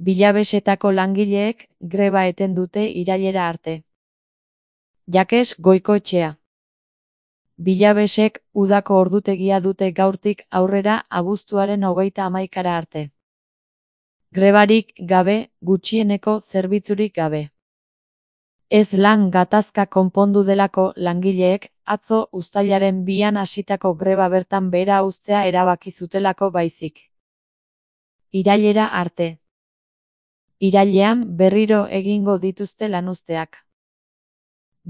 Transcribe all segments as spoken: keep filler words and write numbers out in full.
Bilabesetako langileek greba eten dute irailera arte. Jakes Goikoetxea. Bilabesek udako ordutegia dute gaurtik aurrera abuztuaren hogeita hamaikara arte. Grebarik gabe, gutxieneko zerbitzurik gabe. Ez lan gatazka konpondu delako langileek atzo uztailaren bian hasitako greba bertan behera uztea erabaki zutelako baizik. Irailera arte. Irailean berriro egingo dituzte lanuzteak.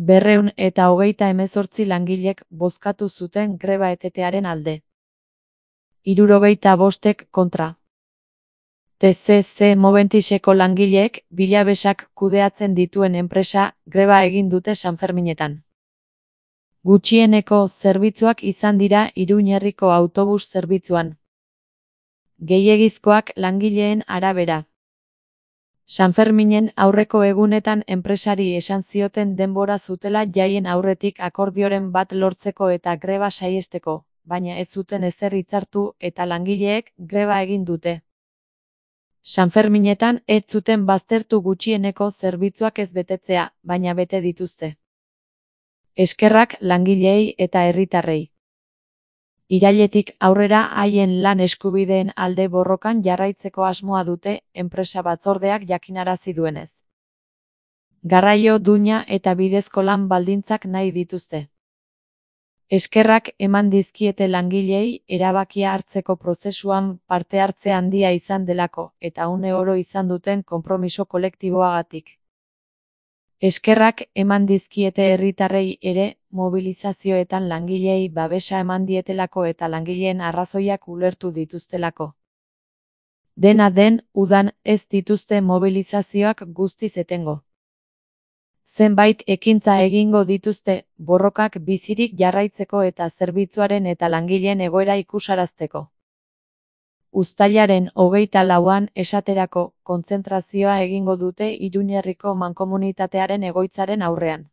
Berreun eta hogeita hemezortzi langilek bozkatu zuten greba etetearen alde. Hirurogeita bostek kontra. T C C Moventiseko langileek bilabesak kudeatzen dituen enpresa greba egin dute Sanferminetan. Gutxieneko zerbitzuak izan dira Iruñerriko autobus zerbitzuan. Gehiegizkoak langileen arabera. Sanferminen aurreko egunetan enpresari esan zioten denbora zutela jaien aurretik akordioren bat lortzeko eta greba saihesteko, baina ez zuten ezer hitzartu eta langileek greba egin dute. Sanferminetan ez zuten baztertu gutxieneko zerbitzuak ez betetzea, baina bete dituzte. Eskerrak langileei eta herritarrei. Irailetik aurrera haien lan eskubideen alde borrokan jarraitzeko asmoa dute enpresa batzordeak jakinarazi duenez. Garraio duina eta bidezko lan baldintzak nahi dituzte. Eskerrak eman dizkiete langileei erabakia hartzeko prozesuan parte hartze handia izan delako eta une oro izan duten konpromiso kolektiboagatik. Eskerrak eman dizkiete herritarrei ere mobilizazioetan langileei babesa eman dietelako eta langileen arrazoiak ulertu dituztelako. Dena den, udan ez dituzte mobilizazioak guztiz etengo. Zenbait ekintza egingo dituzte, borrokak bizirik jarraitzeko eta zerbitzuaren eta langileen egoera ikusarazteko. Uztailaren hogeita lauan esaterako kontzentrazioa egingo dute Iruñerriko mankomunitatearen egoitzaren aurrean.